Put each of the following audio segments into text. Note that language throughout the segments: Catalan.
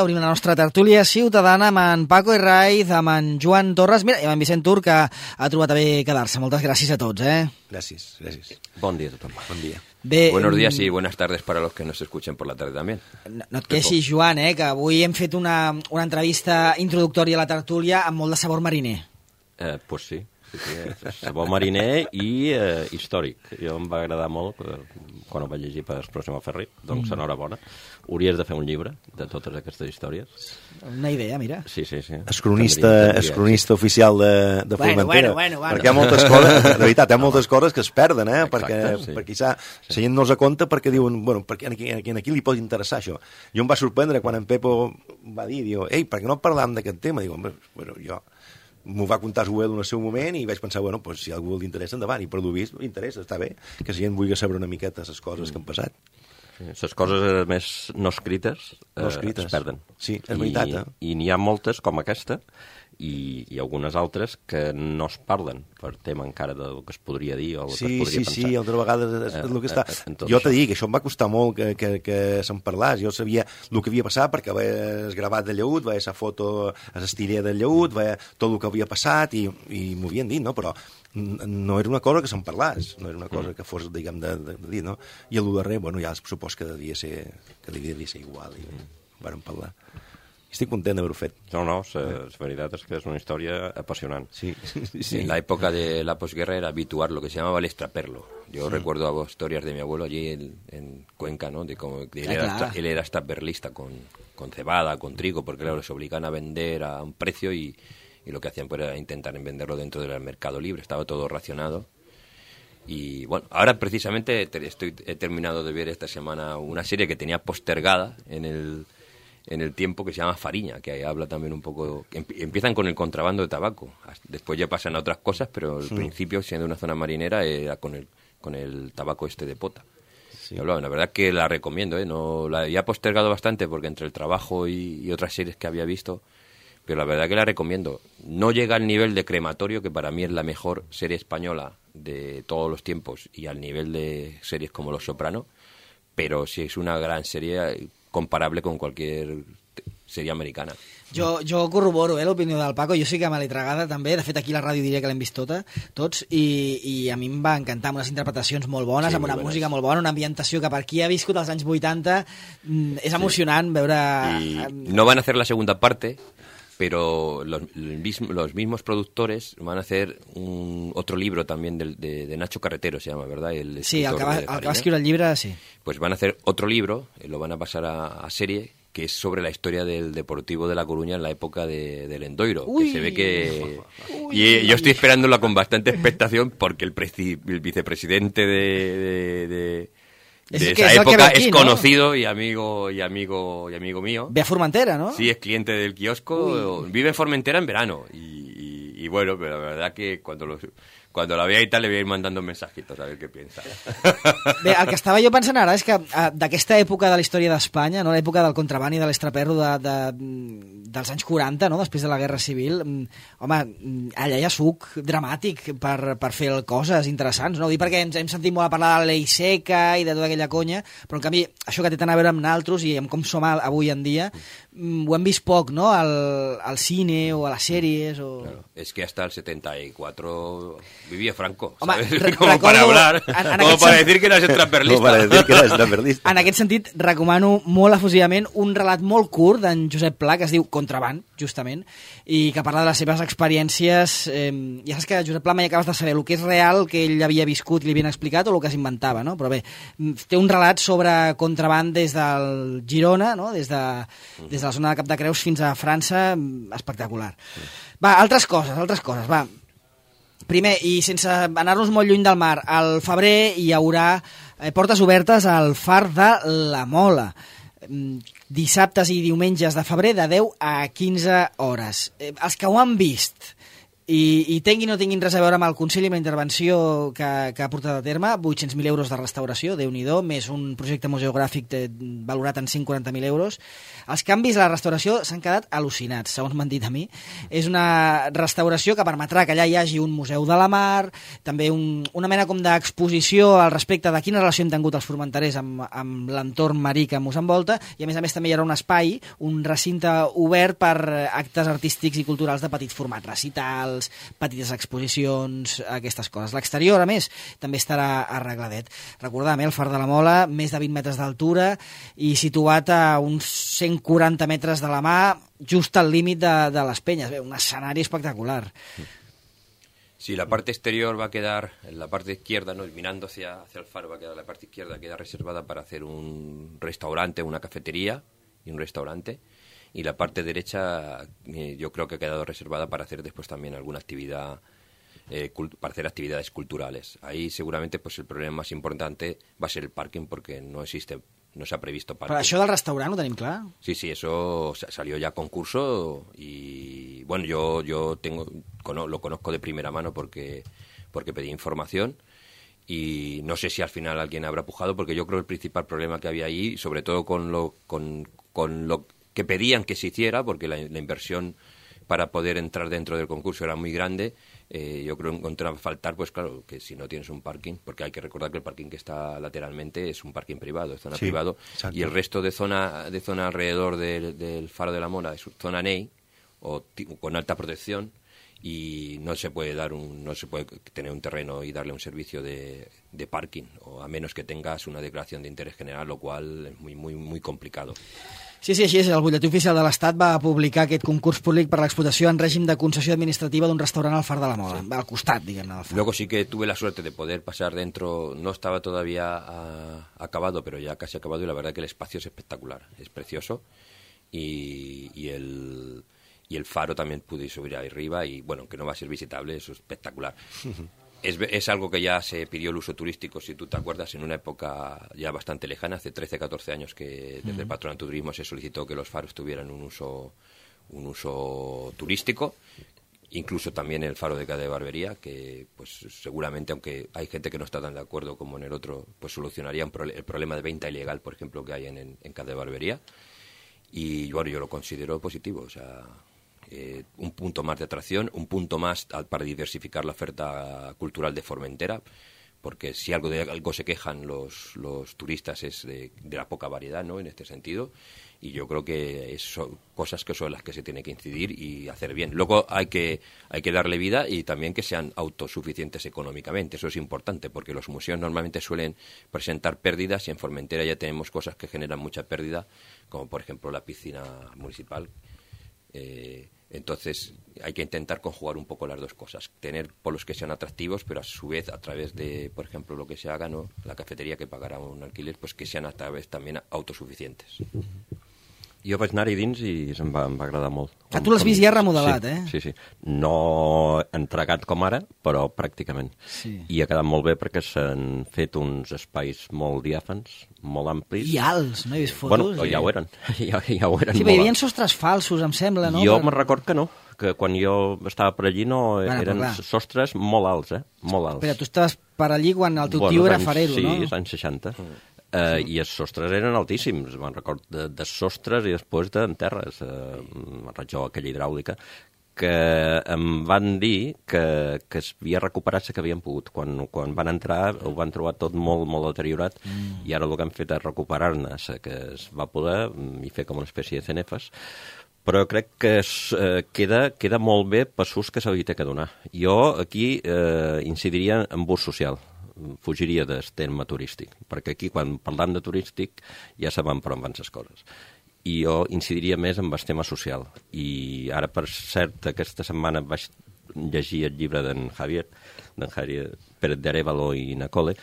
Obrim la nostra tertúlia ciutadana amb en Paco Herraiz, amb en Joan Torres, mira, i amb en Vicent Tur, que ha trobat a bé quedar-se. Moltes gràcies a tots, Gràcies. Bon dia a tothom. Bon dia. Bé, Buenos días y buenas tardes para los que nos escuchen por la tarde también. No et queixis, Joan, que avui hem fet una entrevista introductòria a la tertúlia amb molt de sabor mariner. Pues sí, sabor mariner i històric. Jo em va agradar molt quan ho vaig llegir per Pròxima Ferri, doncs enhorabona. Hauries de fer un llibre de totes aquestes històries. Una idea, mira. Sí. És cronista oficial de Formentera. Bueno. Perquè hi ha moltes coses, de veritat, hi ha moltes coses que es perden, Exacte, sí. perquè la gent no se compta perquè diuen, bueno, perquè aquí li pot interessar això. Jo em va sorprendre quan en Pepo va dir, ei, per què no parlàvem d'aquest tema? Digo, bueno, jo m'ho va contar Joel en el seu moment i vaig pensar, bueno, pues, si a algú li interessa, endavant. I per lo vist, interessa, està bé, que la gent vulgui saber una miqueta les coses que han passat. Les coses més no escrites, es perden. Sí, és veritat. I n'hi ha moltes, com aquesta, i algunes altres que no es parlen per tema encara del que es podria dir o el que es podria pensar. Sí, altra vegada és el que està. Jo t'he dit que això em va costar molt que se'n parlés. Jo sabia el que havia passat perquè veies gravat de Lleut, veies la foto a l'estilla del Lleut, veies tot el que havia passat i m'ho havien dit, no? Però no era una cosa que se'n parlés, no era una cosa que fos, diguem, de dir, no? I el darrer, bueno, ja supos que devia ser igual i vàrem parlar. Estic content d'haver-ho fet. No, la veritat és que és una història apassionant. Sí. En la época de la posguerra era habitual lo que se llamaba el extraperlo. Yo recuerdo historias de mi abuelo allí en Cuenca, ¿no? De cómo él era extraperlista con cebada, con trigo, porque claro, les obligan a vender a un precio y lo que hacían pues era intentar venderlo dentro del mercado libre. Estaba todo racionado. Y bueno, ahora precisamente he terminado de ver esta semana una serie que tenía postergada en el tiempo, que se llama Fariña, que habla también un poco... Empiezan con el contrabando de tabaco, después ya pasan a otras cosas, pero al principio, siendo una zona marinera, era con el tabaco de pota. Sí. La verdad que la recomiendo, no la había postergado bastante porque entre el trabajo y otras series que había visto, pero la verdad que la recomiendo. No llega al nivel de Crematorio, que para mí es la mejor serie española de todos los tiempos, y al nivel de series como Los Soprano, pero sí es una gran serie comparable con cualquier sèrie americana. Jo corroboro l'opinió del Paco, jo sí que me l'he tragada també, de fet aquí a la ràdio diria que l'hem vist tots, i a mi em va encantar, amb unes interpretacions molt bones, amb una música molt bona, una ambientació que per qui ha viscut als anys 80 és emocionant veure... I no van a hacer la segunda parte, pero los mismos productores van a hacer otro libro también de Nacho Carretero, se llama, ¿verdad? Sí, el que va escriure el llibre, sí. Pues van a hacer otro libro, lo van a pasar a serie, que es sobre la historia del Deportivo de La Coruña en la época del Endoiro. Que se ve que... Y yo estoy esperándola con bastante expectación porque el vicepresidente de esa época es conocido, ¿no? y amigo mío. Ve a Formentera, ¿no? Sí, es cliente del kiosco. Vive en Formentera en verano. Y bueno, pero la verdad que cuando la vea y tal le voy a ir mandando mensajitos a ver què piensa. Bé, el que estava jo pensant ara és que d'aquesta època de la història d'Espanya, no, l'època del contraban i de l'estraperro dels anys 40, no, després de la Guerra Civil, home, allà hi ha suc dramàtic per fer coses interessants, no? Ho dic perquè ens hem sentit molt a parlar de la llei seca i de tota aquella conya, però en canvi això que té tant a veure amb naltros i amb com som avui en dia, ho hem vist poc, no?, al cine o a les sèries o... Claro, es que hasta el 74 vivia Franco, home, ¿sabes? Como para hablar, como para decir que eres extraperlista. En aquest sentit, recomano molt efusivament un relat molt curt d'en Josep Pla, que es diu Contraband, justament, i que parla de les seves experiències. Ja saps que Josep Pla mai acabes de saber el que és real, que ell havia viscut i li havien explicat, o el que s'inventava, no? Però bé, té un relat sobre contraband des del Girona, no? Des de la zona de Cap de Creus fins a França, espectacular. Va, altres coses, va. Primer, i sense anar-nos molt lluny del mar, al febrer hi haurà portes obertes al Far de la Mola. Dissabtes i diumenges de febrer de 10 a 15 hores. Els que ho han vist I tinguin o no tinguin res a veure amb el Consell i amb la intervenció que ha portat a terme, 800.000 euros de restauració, Déu-n'hi-do, més un projecte museogràfic valorat en 140.000 euros. Els canvis a la restauració s'han quedat al·lucinats, segons m'han dit a mi. És una restauració que permetrà que allà hi hagi un museu de la mar, també una mena com d'exposició al respecte de quina relació han tingut els formenterers amb l'entorn marí que ens envolta, i a més també hi haurà un espai, un recinte obert per actes artístics i culturals de petit format, recitals, petites exposicions, aquestes coses. L'exterior, a més, també estarà arregladet. Recordem, el Far de la Mola, més de 20 metres d'altura i situat a uns 140 metres de la mà, just al límit de les penyes. Bé, un escenari espectacular. Sí, la parte exterior va a quedar, en la parte izquierda, ¿no? Mirando hacia el faro, va a quedar la parte izquierda, queda reservada para hacer un restaurante, una cafetería y un restaurante. Y la parte derecha yo creo que ha quedado reservada para hacer después también alguna actividad, para hacer actividades culturales. Ahí seguramente pues el problema más importante va a ser el parking, porque no se ha previsto parking. Però això del restaurant ho tenim clar? Sí, eso salió ya a concurso y bueno, yo lo conozco de primera mano porque pedí información. Y no sé si al final alguien habrá pujado, porque yo creo que el principal problema que había ahí, sobre todo con lo que pedían que se hiciera, porque la inversión para poder entrar dentro del concurso era muy grande, yo creo que encontraba faltar, pues claro, que si no tienes un parking, porque hay que recordar que el parking que está lateralmente es un parking privado, es zona privado, exacto. Y el resto de zona alrededor del Faro de la Mola es zona NEI, o con alta protección, y no se puede tener un terreno y darle un servicio de parking, o a menos que tengas una declaración de interés general, lo cual es muy, muy, muy complicado. Sí, així és. El Butlletí Oficial de l'Estat va publicar aquest concurs públic per l'explotació en règim de concessió administrativa d'un restaurant al Far de la Mola, sí. Al costat, diguem-ne, del Far. Luego sí que tuve la suerte de poder pasar dentro, no estaba todavía acabado, pero ya casi acabado, y la verdad que el espacio es espectacular, es precioso, y el faro también pude subir ahí arriba, y bueno, que no va a ser visitable, eso es espectacular. Es algo que ya se pidió el uso turístico, si tú te acuerdas, en una época ya bastante lejana, hace 13, 14 años que desde el Patronato de Turismo se solicitó que los faros tuvieran un uso turístico, incluso también el faro de Cade de Barbería, que pues seguramente, aunque hay gente que no está tan de acuerdo como en el otro, pues solucionaría el problema de venta ilegal, por ejemplo, que hay en Cade de Barbería. Y bueno, yo lo considero positivo, o sea, un punto más de atracción, un punto más para diversificar la oferta cultural de Formentera, porque si algo se quejan los turistas es de la poca variedad, ¿no?, en este sentido, y yo creo que son cosas que son las que se tiene que incidir y hacer bien. Luego hay que darle vida, y también que sean autosuficientes económicamente, eso es importante, porque los museos normalmente suelen presentar pérdidas, y en Formentera ya tenemos cosas que generan mucha pérdida, como por ejemplo la piscina municipal. Entonces hay que intentar conjugar un poco las dos cosas, tener polos que sean atractivos, pero a su vez a través de, por ejemplo, lo que se haga, ¿no?, la cafetería que pagará un alquiler, pues que sean a través también autosuficientes. Jo vaig anar-hi dins i em va agradar molt. Ah, tu l'has vist ja remodelat, sí, sí. No entregat com ara, però pràcticament. Sí. I ha quedat molt bé perquè s'han fet uns espais molt diàfans, molt amplis. I alts, no he vist fotos? Bueno, ja ho eren. Ja ho eren. Sí, hi havia sostres falsos, em sembla, no? Jo me'n record que no, que quan jo estava per allí eren sostres molt alts, molt alts. Espera, tu estaves per allí quan el teu tio era farero, no? Sí, als anys 60. I els sostres eren altíssims, me'n record de sostres i després d'enterres, rajola aquella hidràulica, que em van dir que es havia recuperat la que havien pogut. Quan van entrar ho van trobar tot molt, molt deteriorat, i ara el que han fet és recuperar-ne la que es va poder i fer com una espècie de cenefes, però crec que queda molt bé per l'ús que se li té que donar. Jo aquí incidiria en ús social, fugiria del terme turístic, perquè aquí quan parlam de turístic ja sabem per on van les coses, i jo incidiria més en el tema social. I ara, per cert, aquesta setmana vaig llegir el llibre d'en Javier Pérez de Arévalo i Nacole,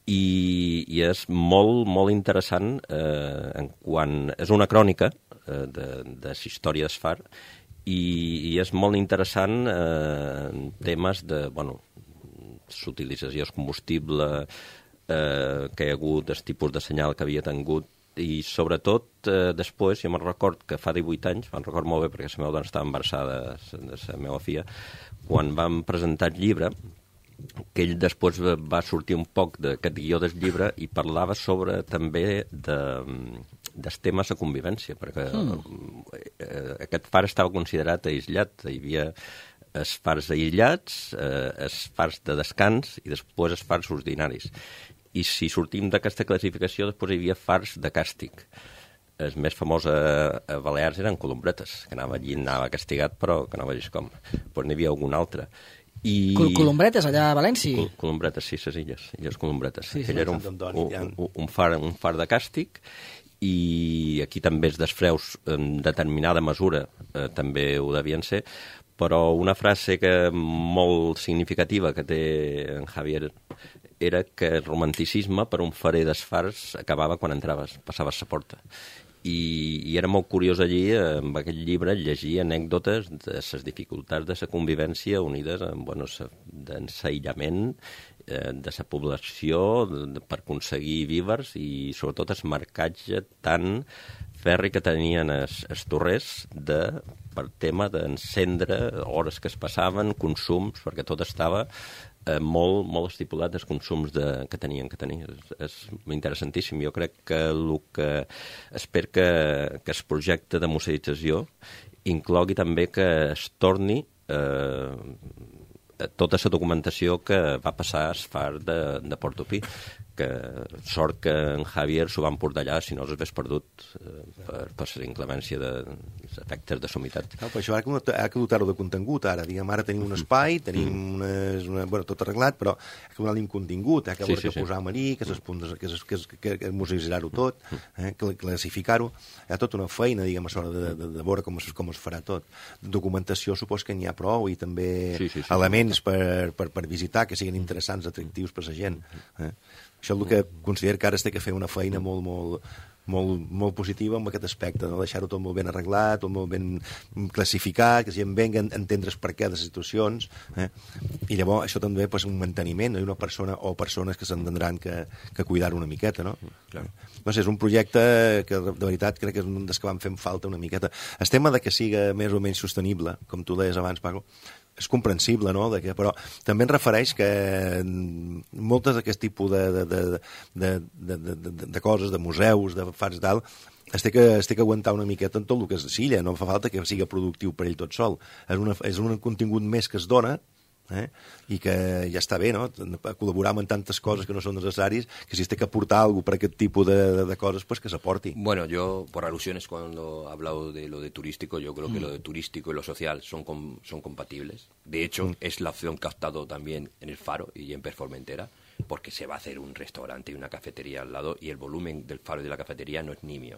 i és molt, molt interessant és una crònica de la història del Far, i és molt interessant en temes de, bueno, l'utilització del combustible que hi ha hagut, el tipus de senyal que havia tingut, i sobretot després, jo me'n record que fa 18 anys, me'n record molt bé perquè la meva dona estava embarassada de la meva filla, quan vam presentar el llibre, que ell després va sortir un poc d'aquest guió del llibre i parlava sobre també dels temes de convivència, perquè aquest far estava considerat aïllat, hi havia els fars aïllats, els fars de descans i després els fars ordinaris. I si sortim d'aquesta classificació, després hi havia fars de càstig. El més famós a Balears eren Columbretes, que anava allí, anava castigat, però que no vegis com. Però n'hi havia algun altre. Columbretes, allà a València? Columbretes, sí, les illes Columbretes. Sí, Aquell era un far de càstig, i aquí també els desfreus en determinada mesura també ho devien ser, però una frase molt significativa que té en Javier era que el romanticisme per un farer d'esfars acabava quan entraves, passaves la porta. I era molt curiós allí, en aquest llibre, llegir anècdotes de les dificultats de la convivència unides amb l'ensaïllament de la població per aconseguir vívers i sobretot el marcatge tan ferri que tenien els torrers per tema d'encendre, hores que es passaven, consums, perquè tot estava molt estipulat dels consums que tenien que tenir. És interessantíssim. Jo crec que el que espero que el projecte de museïtzació inclogui també que es torni tota la documentació que va passar al far de Portopí, que sort que en Javier s'ho van portar allà, si no els hagués perdut per la inclemència dels efectes de somitat. No, però això ha que dotar-ho de contingut, ara. Diguem, ara tenim un espai, tenim tot arreglat, però ha que donar-li un contingut, ha que veure que posar-me allí, que museïtzar-ho tot, que classificar-ho. Hi ha tota una feina, diguem, a l'hora de veure com es farà tot. Documentació supos que n'hi ha prou, i també elements per visitar que siguin interessants, atractius per la gent. Això és el que considero que ara es té que fer una feina molt positiva en aquest aspecte, no? Deixar-ho tot molt ben arreglat, tot molt ben classificat, que la gent venga a entendre el perquè de les situacions, i llavors això també és un manteniment, no? Hi ha una persona o persones que s'entendran que cuidar-ho una miqueta, no? Clar. No sé, és un projecte que de veritat crec que és un dels que van fent falta una miqueta. El tema de que siga més o menys sostenible, com tu deies abans, Paco, és comprensible, no? Però també en refereix que moltes d'aquest tipus de coses, de museus, de fars tal, es té que aguantar una miqueta en tot el que és l'illa, no fa falta que sigui productiu per ell tot sol. És un contingut més que es dona, i que ja està bé, no? Col·laborar amb tantes coses que no són necessàries, que si es té que aportar alguna per aquest tipus de coses, pues que s'aporti. Bueno, yo, por alusiones, cuando he hablado de lo de turístico, yo creo que lo de turístico y lo social son compatibles. De hecho, es la opción que ha optado también en el Faro y en Performentera, porque se va a hacer un restaurante y una cafetería al lado, y el volumen del Faro y de la cafetería no es nimio.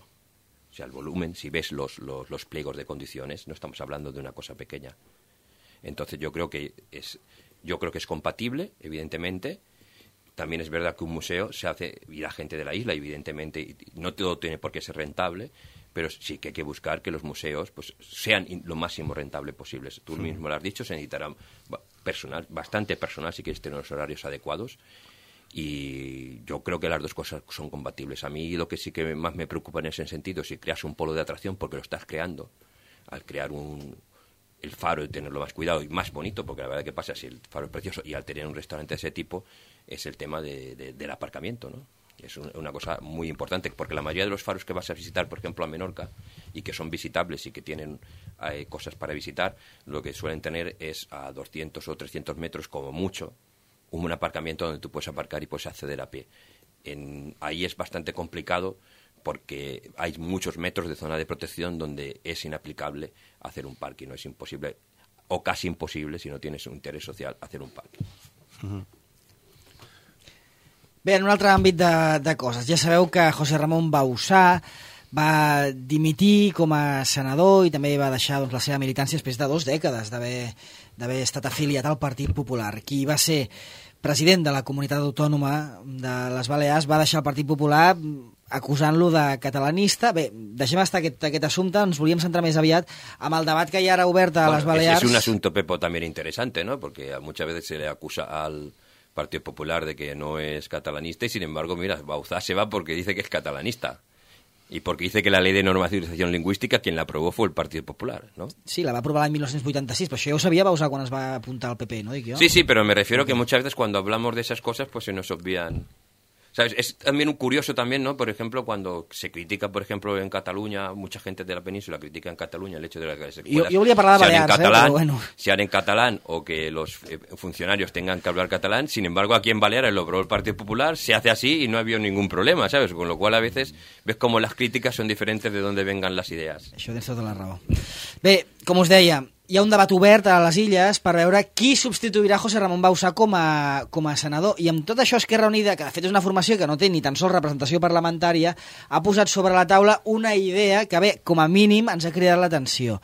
O sea, el volumen, si ves los pliegos de condiciones, no estamos hablando de una cosa pequeña. Entonces yo creo que es compatible, evidentemente. También es verdad que un museo se hace, y la gente de la isla, evidentemente, no todo tiene por qué ser rentable, pero sí que hay que buscar que los museos pues sean lo máximo rentable posibles. Tú mismo lo has dicho, se necesitará bastante personal si quieres tener los horarios adecuados, y yo creo que las dos cosas son compatibles. A mí lo que sí que más me preocupa en ese sentido es si creas un polo de atracción, porque lo estás creando. Al crear el Faro y tenerlo más cuidado y más bonito, porque la verdad que pasa si el Faro es precioso, y al tener un restaurante de ese tipo es el tema del aparcamiento, ¿no? Es una cosa muy importante, porque la mayoría de los faros que vas a visitar, por ejemplo, a Menorca, y que son visitables y que tienen cosas para visitar, lo que suelen tener es a 200 o 300 metros como mucho un aparcamiento donde tú puedes aparcar y puedes acceder a pie. Ahí es bastante complicado, porque hay muchos metros de zona de protección donde es inaplicable hacer un parking, no es imposible, o casi imposible, si no tienes un interés social, hacer un parking. Bé, en un altre àmbit de coses, ja sabeu que José Ramón Bauzá va dimitir com a senador i també va deixar la seva militància després de 2 dècades d'haver estat afiliat al Partit Popular. Qui va ser president de la comunitat autònoma de les Balears va deixar el Partit Popular acusant-lo de catalanista. Bé, deixem estar aquest assumpte, ens volíem centrar més aviat amb el debat que hi ha ara obert a les Balears. Es un asunto, Pepo, también interesante, ¿no? Porque muchas veces se le acusa al Partido Popular de que no es catalanista y, sin embargo, mira, Bauzá se va porque dice que es catalanista. Y porque dice que la ley de normalización lingüística, quien la aprobó fue el Partido Popular, ¿no? Sí, la va aprovar l'any 1986, però això ja ho sabia Bauzá quan es va apuntar al PP, ¿no? Dic jo. Sí, pero me refiero que muchas veces cuando hablamos de esas cosas, pues se nos obvian... ¿Sabes? Es también un curioso también, ¿no? Por ejemplo, cuando se critica, por ejemplo, en Cataluña, mucha gente de la península critica en Cataluña el hecho de que las escuelas yo volia parlar de Balears, pero bueno. sean en catalán o que los funcionarios tengan que hablar catalán. Sin embargo, aquí en Baleares lo aprobó el Partido Popular, se hace así y no ha habido ningún problema, ¿sabes? Con lo cual a veces ves como las críticas son diferentes de dónde vengan las ideas. Això tens tota la raó. Bé, com us deia, hi ha un debat obert a les Illes per veure qui substituirà José Ramón Bauzá com a senador. I amb tot això Esquerra Unida, que de fet és una formació que no té ni tan sols representació parlamentària, ha posat sobre la taula una idea que, bé, com a mínim ens ha cridat l'atenció.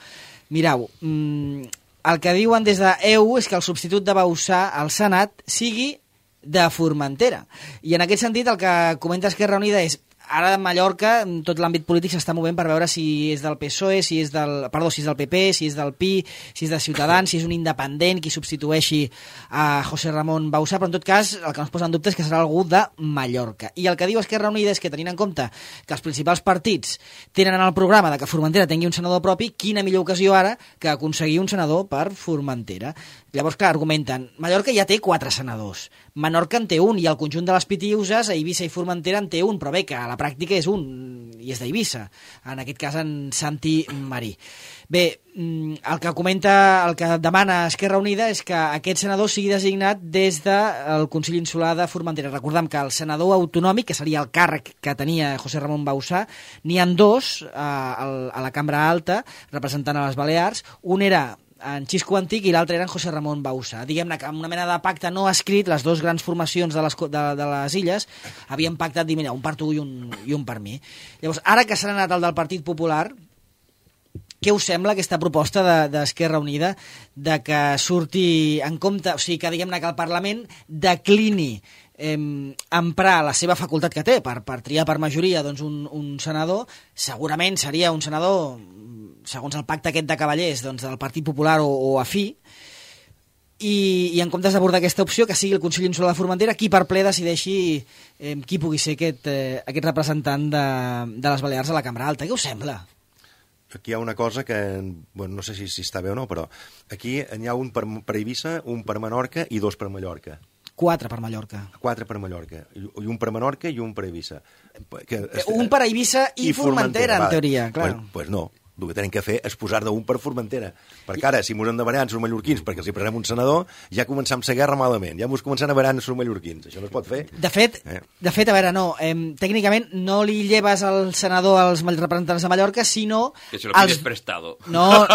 Mireu, el que diuen des d'EU és que el substitut de Bauzá al Senat sigui de Formentera. I en aquest sentit el que comenta Esquerra Unida és ara a Mallorca tot l'àmbit polític s'està movent per veure si és del PSOE, si és del PP, si és del PI, si és de Ciutadans, si és un independent qui substitueixi a José Ramón Bauzá, però en tot cas el que no es posa en dubte és que serà algú de Mallorca. I el que diu Esquerra Unida és que tenint en compte que els principals partits tenen en el programa de que Formentera tingui un senador propi, quina millor ocasió ara que aconseguir un senador per Formentera. Llavors, clar, argumenten, Mallorca ja té 4 senadors, Menorca en té un, i el conjunt de les Pitiüses, a Eivissa i Formentera en té un, però bé, que a la pràctica és un, i és d'Eivissa, en aquest cas en Santi Marí. Bé, el que comenta, el que demana Esquerra Unida és que aquest senador sigui designat des del Consell Insular de Formentera. Recordem que el senador autonòmic, que seria el càrrec que tenia José Ramón Bauzá, n'hi ha 2 a la Cambra Alta, representant a les Balears. Un era en Xisco Antic i l'altre era en José Ramón Bauzá. Diguem-ne que amb una mena de pacte no escrit, les 2 grans formacions de les Illes havien pactat dir, mira, un per tu i un per mi. Llavors, ara que s'ha anat el del Partit Popular, què us sembla aquesta proposta d'Esquerra Unida de que surti en compte, o sigui, que diguem-ne que el Parlament declini emprar la seva facultat que té per triar per majoria doncs, un senador? Segurament seria un senador, segons el pacte aquest de cavallers, doncs, del Partit Popular o afí, i en comptes d'abordar aquesta opció, que sigui el Consell Insular de Formentera qui per ple decideixi qui pugui ser aquest representant de les Balears a la Cambra Alta. Què us sembla? Aquí hi ha una cosa que, bueno, no sé si està bé o no, però aquí n'hi ha un per Eivissa, un per Menorca i 2 per Mallorca. 4 per Mallorca. 4 per Mallorca. I un per Menorca i un per Eivissa. Un per Eivissa i Formentera, en teoria, clar. Pues no. El que tenim que fer és posar d'un per Formentera. Perquè ara, si mos hem de barallar els mallorquins perquè els hi prenem un senador, ja començam la guerra malament. Ja mos començam a barallar els mallorquins. Això no es pot fer. De fet, a veure, no. Tècnicament no li lleves el senador als representants de Mallorca, sinó... Que se lo pides prestado. No,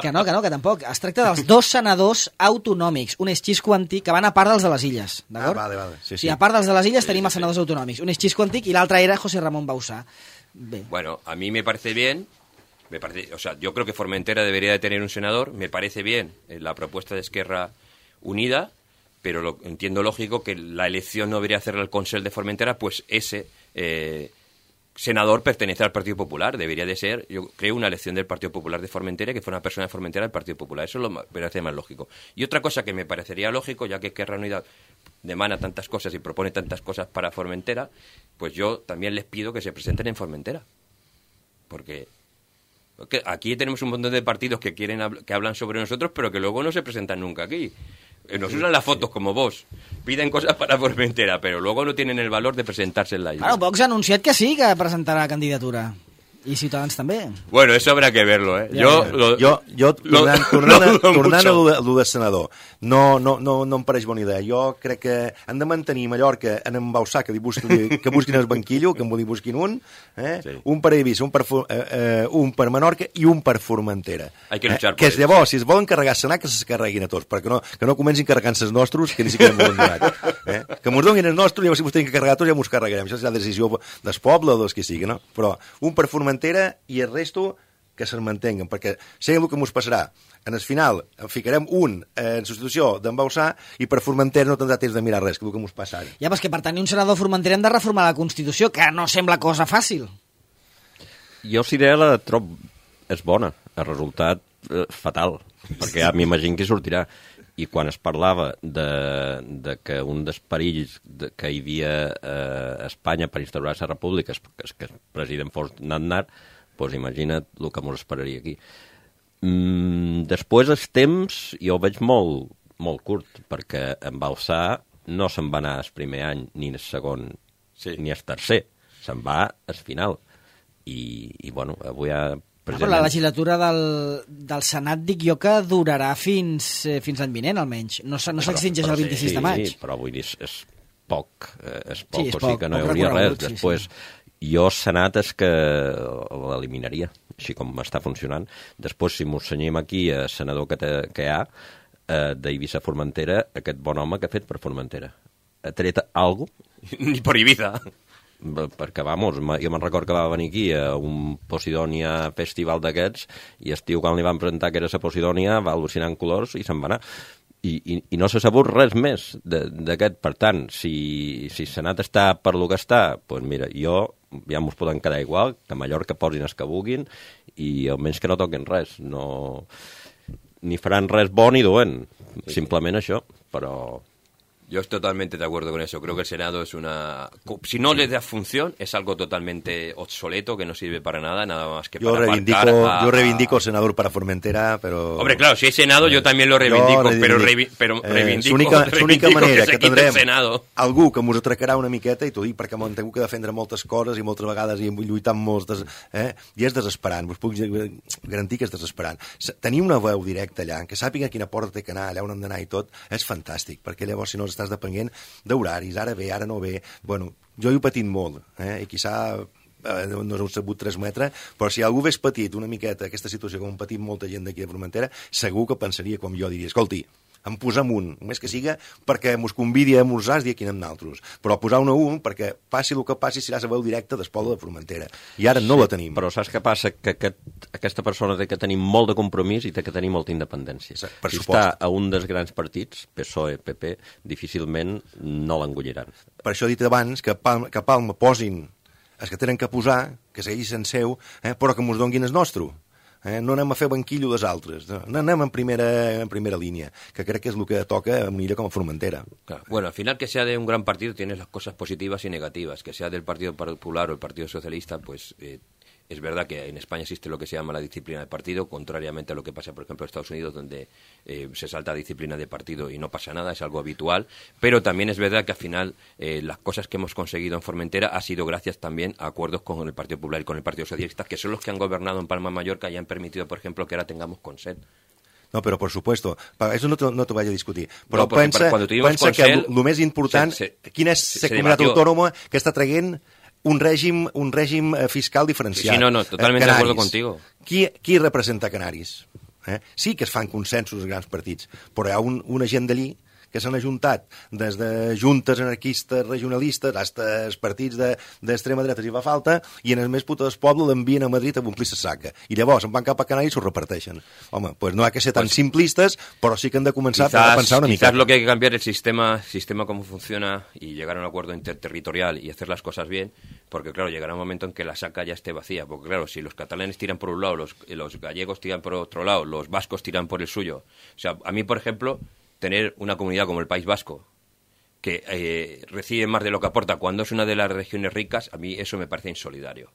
que tampoc. Es tracta dels 2 senadors autonòmics. Un és Xisco Antic, que van a part dels de les Illes, d'acord? Vale. Sí. A part dels de les Illes tenim els senadors autonòmics. Un és Xisco Antic i l'altre era José Ramón Bauzá. Bé. Bueno, a mí me parece bien... o sea, yo creo que Formentera debería de tener un senador. Me parece bien la propuesta de Esquerra Unida, pero entiendo lógico que la elección no debería hacerla el Consell de Formentera, pues ese senador pertenece al Partido Popular. Debería de ser, yo creo, una elección del Partido Popular de Formentera, que fuera una persona de Formentera del Partido Popular. Eso me parece más lógico. Y otra cosa que me parecería lógico, ya que Esquerra Unida demanda tantas cosas y propone tantas cosas para Formentera, pues yo también les pido que se presenten en Formentera. Porque aquí tenemos un montón de partidos que que hablan sobre nosotros, pero que luego no se presentan nunca aquí. Nos usan las fotos como vos, piden cosas para Formentera, pero luego no tienen el valor de presentarse en la isla. Bueno, Vox ha anunciat que sí, que presentarà candidatura. I Ciutadans també. Bueno, eso habrá que verlo, ¿eh? Tornant a lo de senador, no em pareix bona idea. Jo crec que han de mantenir Mallorca en Bauzá, que busquin el banquillo, que en busquin un, sí. Un per Eivissa, un per Menorca i un per Formentera. Hay que luchar por que llavors, si es volen carregar Senat, que se carreguin a tots, perquè que no comencin carregant-se els nostres, que ni siquiera m'ho han donat. Que mos donin els nostres, llavors si mos tenim que carregar tots, ja mos carregarem. Això és la decisió del poble o dels que sigui, no? Però un per Formentera i el resto que se'n mantenguen, perquè sé el que mos passarà. En el final ficarem un en substitució d'en Bauzá i per Formentera no tindrà temps de mirar res, que és el que mos passa ara. Ja, però que per tenir un senador a Formentera hem de reformar la Constitució, que no sembla cosa fàcil. Jo si idea la trob és bona, el resultat fatal, perquè ja m'imagino que sortirà. I quan es parlava de que un dels perills que hi havia a Espanya per instaurar la república és que el president fos Aznar, doncs imagina't el que ens esperaria aquí. Després el temps jo ho veig molt, molt curt, perquè en Balsà no se'n va anar el primer any, ni el segon, ni el tercer, se'n va al final. I bueno, avui ha... Però la legislatura del Senat, dic jo, que durarà fins l'any vinent, almenys. No s'extingeix el 26 de maig. Sí, però vull dir, és poc, o poc, sigui que no hi hauria res. Després, jo Senat és que l'eliminaria, així com està funcionant. Després, si m'ho senyim aquí, el senador que hi ha, d'Eivissa Formentera, aquest bon home que ha fet per Formentera. Ha tret alguna cosa? Ni per Ibiza. Perquè, vamos, jo me'n record que va venir aquí a un Posidònia festival d'aquests i el tio, quan li van presentar que era la Posidònia, va al·lucinar en colors i se'n va anar. I no s'ha sabut res més d'aquest. Per tant, si Senat està per lo que està, doncs mira, ja mos poden quedar igual, que a Mallorca posin els que vulguin i almenys que no toquen res. No, ni faran res bo ni dolent, simplement això, però... Yo estoy totalmente de acuerdo con eso. Creo que el Senado es si no le da función, es algo totalmente obsoleto, que no sirve para nada más que para aparcar yo reivindico senador para Formentera, pero... Hombre, claro, si es Senado yo también lo reivindico, pero reivindico l'única manera que tindrem Senado. Algú que m'ho atracarà una miqueta, i t'ho dic perquè m'ho han tingut que defendre moltes coses i moltes vegades i lluitar amb molts... I és desesperant, us puc garantir que és desesperant. Tenir una veu directa allà, que sàpiga quina porta té que anar, allà on hem d'anar i tot, és fantàstic, perquè llavors si no estàs depenent d'horaris, ara ve, ara no ve. Bueno, jo he patit molt, i quizà no heu sabut transmetre, però si algú hagués patit una miqueta aquesta situació com han patit molta gent d'aquí de Formentera, segur que pensaria com jo, diria, escolti, em posem un, només que siga perquè mos convidi a esmorzar i aquí anem naltros, però posar un perquè passi el que passi serà la veu directa del poble de Formentera, i ara no la tenim. Però saps què passa? Que aquesta persona té que tenir molt de compromís i té que tenir molta independència. Si està a un dels grans partits, PSOE, PP, difícilment no l'engolliran. Per això he dit abans que a Palma posin els que tenen que posar, que segueixin seu, però que mos donguin el nostre. No anem a fer banquillo dels altres, no anem en primera línia, que crec que és el que toca a una illa com a Formentera. Claro. Bueno, al final que sea de un gran partido tienes las cosas positivas y negativas, que sea del Partido Popular o el Partido Socialista, pues es verdad que en España existe lo que se llama la disciplina de partido, contrariamente a lo que pasa, por ejemplo, en Estados Unidos, donde se salta disciplina de partido y no pasa nada, es algo habitual, pero también es verdad que al final las cosas que hemos conseguido en Formentera ha sido gracias también a acuerdos con el Partido Popular y con el Partido Socialista, que son los que han gobernado en Palma de Mallorca y han permitido, por ejemplo, que ahora tengamos Consell. No, però per supuesto, eso no t'ho vaig a discutir. Però no, pensa que el més important, quina és la comunitat autònoma que està traient un règim fiscal diferenciat. Sí, no, totalmente de acuerdo contigo. Qui representa Canaris? Sí que es fan consensos els grans partits, però hi ha una gent d'allí que s'han ajuntat des de juntes anarquistes regionalistes fins als partits d'extrema dreta si fa falta, i en el més puta del poble l'envien a Madrid a omplir la saca. I llavors se'n van cap a Canàries i s'ho reparteixen. Home, pues no ha que ser tan simplistes, però sí que hem de començar a pensar una mica. Quizás lo que hay que cambiar es el sistema cómo funciona y llegar a un acuerdo interterritorial y hacer las cosas bien, porque claro, llegará un momento en que la saca ya esté vacía, porque claro, si los catalanes tiran por un lado, los gallegos tiran por otro lado, los vascos tiran por el suyo. O sea, a mí, por ejemplo, tener una comunidad como el País Vasco, que recibe más de lo que aporta cuando es una de las regiones ricas, a mí eso me parece insolidario.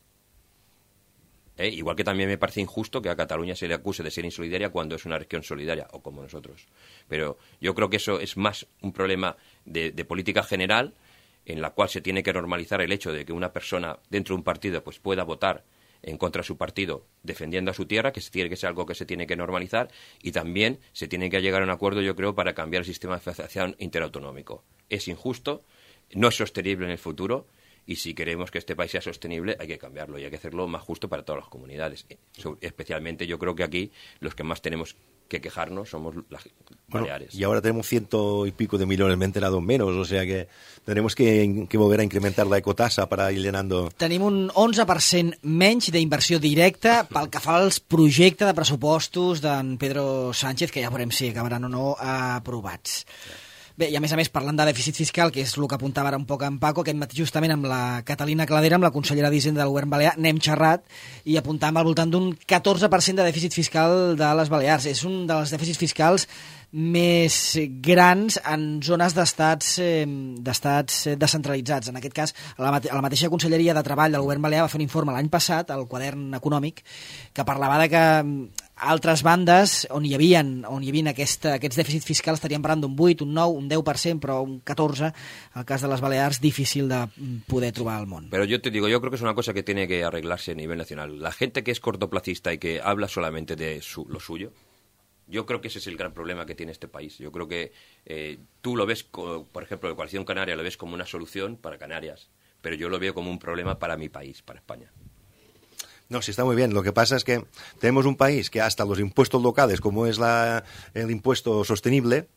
Igual que también me parece injusto que a Cataluña se le acuse de ser insolidaria cuando es una región solidaria, o como nosotros. Pero yo creo que eso es más un problema de política general, en la cual se tiene que normalizar el hecho de que una persona dentro de un partido pues pueda votar en contra de su partido defendiendo a su tierra, que tiene que ser algo que se tiene que normalizar, y también se tiene que llegar a un acuerdo, yo creo, para cambiar el sistema de financiación interautonómico. Es injusto, no es sostenible en el futuro, y si queremos que este país sea sostenible hay que cambiarlo y hay que hacerlo más justo para todas las comunidades. Especialmente yo creo que aquí los que más tenemos que quejarnos somos las Baleares. Y ahora tenemos 100 y pico de millones, me he enterado menos, o sea que tenemos que volver a incrementar la ecotasa para ir llenando... Tenim un 11% menys d'inversió directa pel que fa als projectes de pressupostos d'en Pedro Sánchez, que ja veurem si acabaran o no aprovats. Bé, i a més, parlant de dèficit fiscal, que és el que apuntava ara un poc en Paco, aquest matí justament amb la Catalina Cladera, amb la consellera d'Hisenda del govern balear, n'hem xerrat i apuntàvem al voltant d'un 14% de dèficit fiscal de les Balears. És un dels dèficits fiscals més grans en zones d'estats descentralitzats. En aquest cas, la mateixa Conselleria de Treball del govern balear va fer un informe l'any passat, el quadern econòmic, que parlava de que altres bandes on hi havia aquests dèficits fiscals estaríem parlant d'un 8, un 9, un 10%, però un 14%, el cas de les Balears, difícil de poder trobar al món. Pero yo te digo, yo creo que es una cosa que tiene que arreglarse a nivel nacional. La gente que es cortoplacista y que habla solamente de lo suyo, yo creo que ese es el gran problema que tiene este país. Yo creo que tú lo ves, por ejemplo, la Coalición Canaria lo ves como una solución para Canarias, pero yo lo veo como un problema para mi país, para España. No, sí, está muy bien. Lo que pasa es que tenemos un país que hasta los impuestos locales, como es el impuesto sostenible...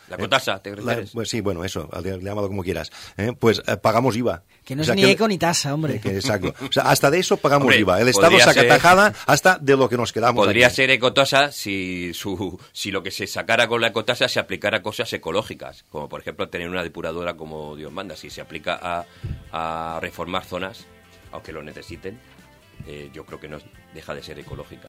La cotasa, ¿te refieres? Pues sí, bueno, eso, llámalo como quieras. Pues pagamos IVA. Que no es ni eco ni tasa, hombre. Exacto. O sea, hasta de eso pagamos hombre, IVA. El Estado saca tajada hasta de lo que nos quedamos. Podría aquí. ser ecotasa si lo que se sacara con la ecotasa se aplicara a cosas ecológicas, como por ejemplo tener una depuradora como Dios manda. Si se aplica a reformar zonas, aunque lo necesiten, yo creo que no deja de ser ecológica.